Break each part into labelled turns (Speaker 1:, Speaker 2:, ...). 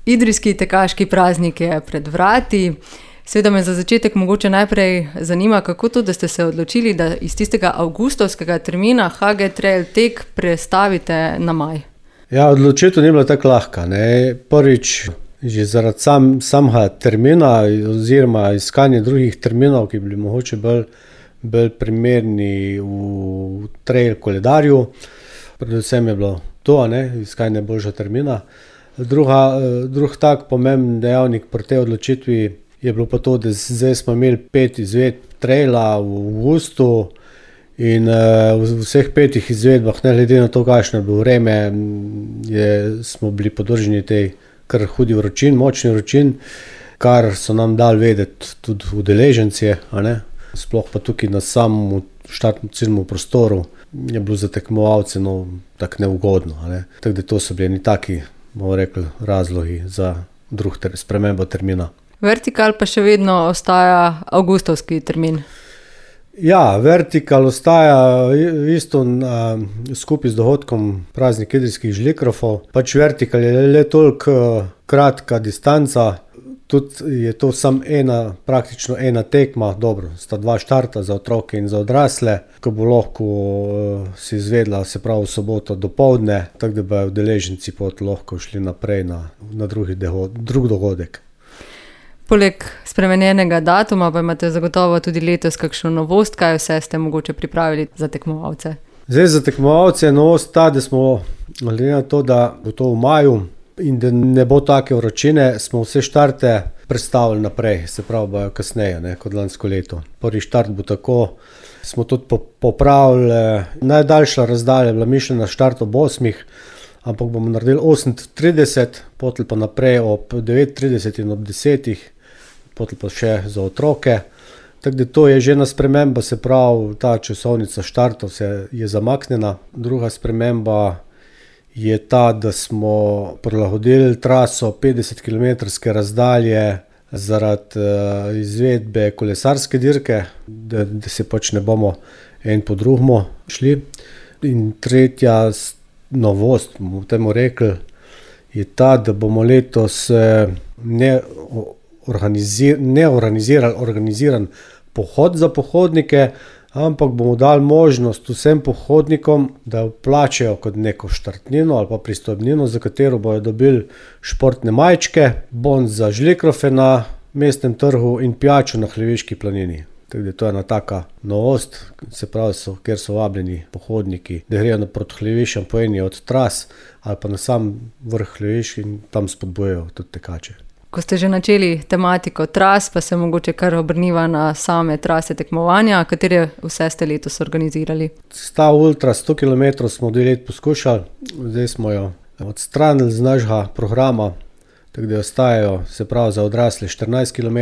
Speaker 1: Idrijski tekaški praznik je pred vrati. Seveda me za začetek mogoče najprej zanima, kako to, da ste se odločili, da iz tistega avgustovskega termina HG Trail tek prestavite na maj.
Speaker 2: Ja, odločitev ni bila tako lahka, ne. Prvič, že zaradi samega termina oziroma iskanje drugih terminov, ki bi bili mogoče bolj primerni v trail koledarju. Predvsem je bilo to, iskanje boljšega termina. Drug tak pomemben dejavnik pri tej odločitvi je bilo pa to, da zdaj smo imeli 5 izvedb traila v avgustu in v vseh 5 izvedbah, ne glede na to, kakšno je bilo vreme, smo bili podvrženi tej kar hudi vročin, močni vročin, kar so nam dali vedeti tudi udeleženci, sploh pa tukaj na samem štartnem ciljnem prostoru je bilo za tekmovalce tako neugodno. Tako da to so bili taki, bomo rekli, razlogi za spremembo termina.
Speaker 1: Vertikal pa še vedno ostaja avgustovski termin.
Speaker 2: Ja, Vertikal ostaja isto skupaj z dogodkom Praznik idrijskih žlikrofov. Vertikal je le toliko kratka distanca, tudi je to praktično ena tekma, dobro, sta 2 štarta za otroke in za odrasle, ko bo lahko se izvedla, se pravi v soboto dopoldne, tako da bodo udeleženci lahko šli naprej na drug dogodek.
Speaker 1: Poleg spremenjenega datuma pa imate zagotovo tudi letos kakšno novost, kaj vse ste mogoče pripravili za tekmovalce?
Speaker 2: Zdaj za tekmovalce je novost ta, da smo, glede na to, da bo to v maju in da ne bo take vročine, smo vse štarte prestavili naprej, se pravi bojo kasneje, kot lansko leto. Prvi štart bo tako, smo tudi popravili, najdaljša razdalja je bila mišljena štart ob 8, ampak bomo naredili 8:30, potem pa naprej ob 9:30 in ob 10, potem pa še za otroke. Tako da to je že ena sprememba, se pravi, ta časovnica štartov je zamaknjena. Druga sprememba je ta, da smo prilagodili traso 50-kilometrske razdalje zaradi izvedbe kolesarske dirke, da se ne bomo en po drugemu šli. In tretja novost, bomo temu rekli, je ta, da bomo letos organiziran pohod za pohodnike, ampak bomo dali možnost vsem pohodnikom, da plačajo kot neko štartnino ali pa pristojbnino, za katero bojo dobili športne majčke, bon za žlikrofe na mestnem trgu in pijačo na Hljeviški planini. Tako da to je ena taka novost, se pravi, kjer so vabljeni pohodniki, da grejo proti Hljeviščam po eni od tras ali pa na sam vrh Hljevišč in tam spodbujajo tudi tekače.
Speaker 1: Ko ste že načeli tematiko tras, pa se mogoče kar obrniva na same trase tekmovanja, katere vse ste letos organizirali?
Speaker 2: Ta ultra 100 km smo 2 let poskušali, zdaj smo jo odstranili z našega programa, tako da ostajajo, se pravi, za odrasle 14 km,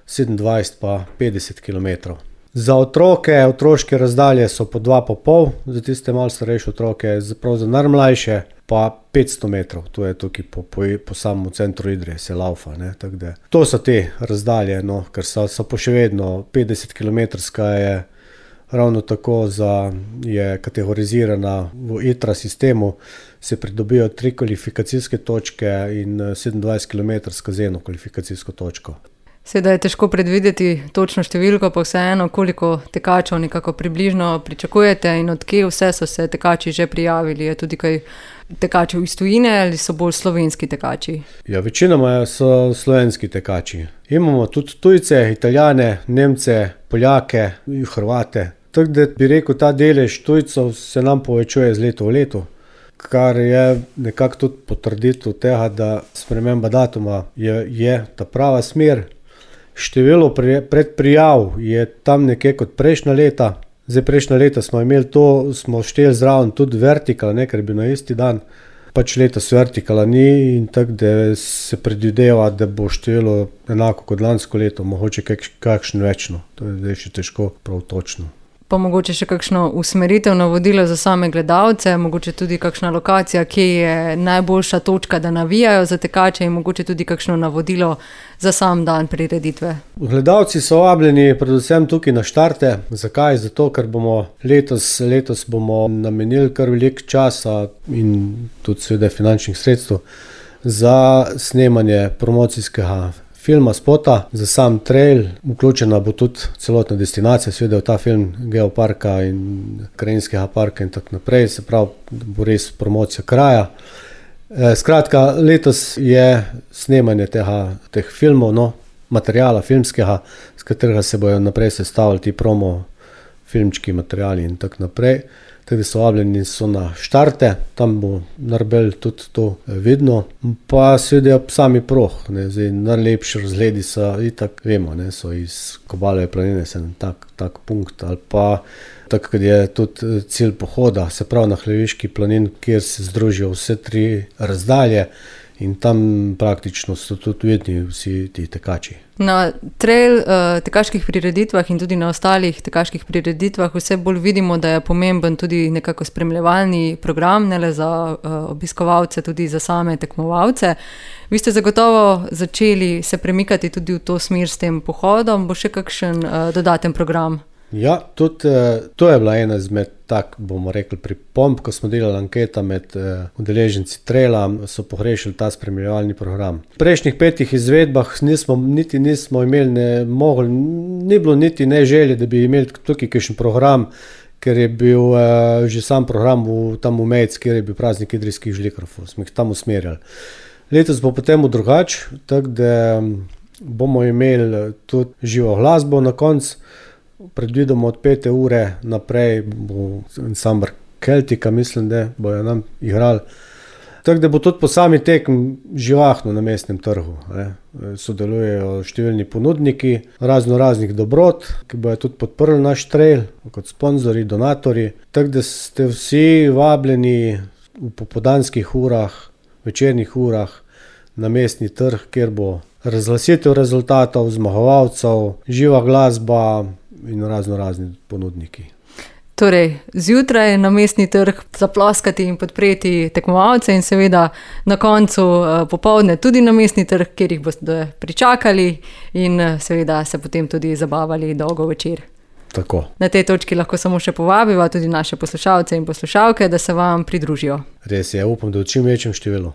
Speaker 2: 27 pa 50 km. Za otroške razdalje so po 2,5, za tiste malo starejše otroke, za najmlajše pa 500 metrov, to je tukaj po samem centru Idrije, se laufa. To so te razdalje, ker so pa še vedno 50-kilometrska je ravno tako je kategorizirana v ITRA sistemu, se pridobijo 3 kvalifikacijske točke in 27-kilometrska z 1 kvalifikacijsko točko.
Speaker 1: Seveda je težko predvideti točno številko, pa vseeno, koliko tekačev nekako približno pričakujete in od kje vse so se tekači že prijavili? Je tudi kaj tekačev iz tujine ali so bolj slovenski tekači? Ja,
Speaker 2: večinoma so slovenski tekači. Imamo tudi tujce, Italijane, Nemce, Poljake in Hrvate. Tako da bi rekel, ta delež tujcev se nam povečuje z leto v leto, kar je nekako tudi potrditev tega, da sprememba datuma je ta prava smer. Število predprijav je tam nekje kot prejšnja leta. Zdaj prejšnja leta smo imeli to, smo šteli zraven tudi Vertikal, ker je bil na isti dan. Letos Vertikala ni in tako da se predvideva, da bo število enako kot lansko leto, mogoče kakšno večno. To je zdaj še težko prav točno.
Speaker 1: Pa mogoče še kakšno usmeritev, navodilo za same gledalce, mogoče tudi kakšna lokacija, kje je najboljša točka, da navijajo za tekače in mogoče tudi kakšno navodilo za sam dan prireditve.
Speaker 2: Gledalci so vabljeni predvsem tukaj na štarte. Zakaj? Zato, ker bomo letos bomo namenili kar veliko časa in tudi seveda finančnih sredstev za snemanje promocijskega filma, spota, za sam trail. Vključena bo tudi celotna destinacija, seveda v ta film geoparka in krajinskega parka in tako naprej, se pravi, bo res promocija kraja. Skratka, letos je snemanje teh filmov, materijala filmskega, s katerega se bojo naprej sestavili ti promo filmčki, materiali in tako naprej. Tako da so vabljeni so na štarte, tam bo naredil tudi to vidno. Pa seveda sami proh, zdaj najlepši razgledi so, itak vemo, so iz Kobalove planine, se tak punkt, ali pa tako, kad je tudi cilj pohoda, se pravi na Hljeviški planin, kjer se združijo vse 3 razdalje in tam praktično so tudi vidni vsi ti tekači.
Speaker 1: Na trail tekaških prireditvah in tudi na ostalih tekaških prireditvah vse bolj vidimo, da je pomemben tudi nekako spremljevalni program, ne le za obiskovalce, tudi za same tekmovalce. Vi ste zagotovo začeli se premikati tudi v to smer s tem pohodom, bo še kakšen dodaten program?
Speaker 2: Ja, tudi to je bila ena izmed bomo rekli, pripomb, ko smo delali anketa med udeleženci traila, so pohrešili ta spremljevalni program. V prejšnjih 5 izvedbah nismo imeli, ni bilo niti ne želje, da bi imeli tukaj kakšen program, ker je bil že sam program tam v Mejc, kjer je bil praznik idrijskih žlikrofov, smo jih tam usmerjali. Letos bo potem drugače, tako da bomo imeli tudi živo glasbo na koncu. Predvidimo od 5. ure naprej bo ansambl Keltika, mislim, da bojo nam igrali. Tako da bo tudi po sami tekm živahno na mestnem trgu. Sodelujejo številni ponudniki raznih dobrot, ki bojo tudi podprli naš trail, kot sponzorji, donatorji. Tako da ste vsi vabljeni v popoldanskih urah, večernih urah na mestni trg, kjer bo razglasitev rezultatov, zmagovalcev, živa glasba in razni ponudniki.
Speaker 1: Torej, zjutraj na mestni trg zaploskati in podpreti tekmovalce in seveda na koncu popoldne tudi na mestni trg, kjer jih boste pričakali in seveda se potem tudi zabavali dolgo večer.
Speaker 2: Tako.
Speaker 1: Na tej točki lahko samo še povabiva tudi naše poslušalce in poslušalke, da se vam pridružijo.
Speaker 2: Res je, upam, da v čim večjem številu.